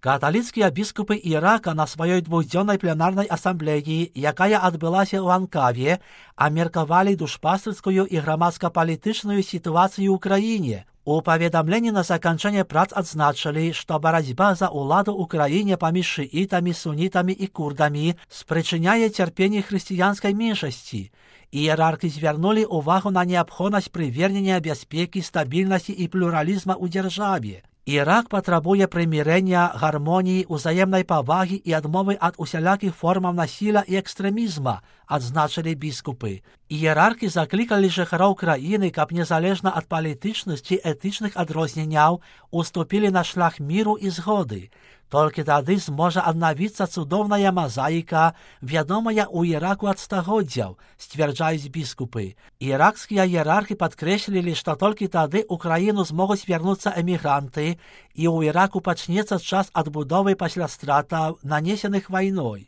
Каталіцкія біскупы Ірака на сваёй двухдзённай пленарнай асамблеі, якая адбылася ў Анкаве, абмеркавалі душпастырскую і грамадска-палітычную сітуацыю ў краіне. У паведамленні на заканчэнне прац адзначылі, што барацьба за ўладу ў краіне паміж шыітамі, сунітамі і курдамі спрычыняе цярпенне хрысціянскай меншасці. Іерархі звярнулі ўвагу на неабходнасць прывернення бяспекі, стабільнасці і плюралізма ў дзяржаве. Ірак патрабуе прымірэння, гармоніі, узаемнай павагі і адмовы ад усялякіх формаў насілля і экстрэмізма, адзначылі біскупы. Іерархі заклікалі жыхароў краіны, каб незалежна ад палітычных ці этычных адрозненняў уступілі на шлях міру і згоды. Толькі тады зможа аднавіцца цудоўная мазаіка, вядомая ў Іраку ад стагоддзяў, сцвярджаюць біскупы. Іракскія іерархі падкрэслілі, што толькі тады ў краіну змогуць вярнуцца эмігранты, і ў Іраку пачнецца час адбудовы пасля стратаў, нанесеных вайной.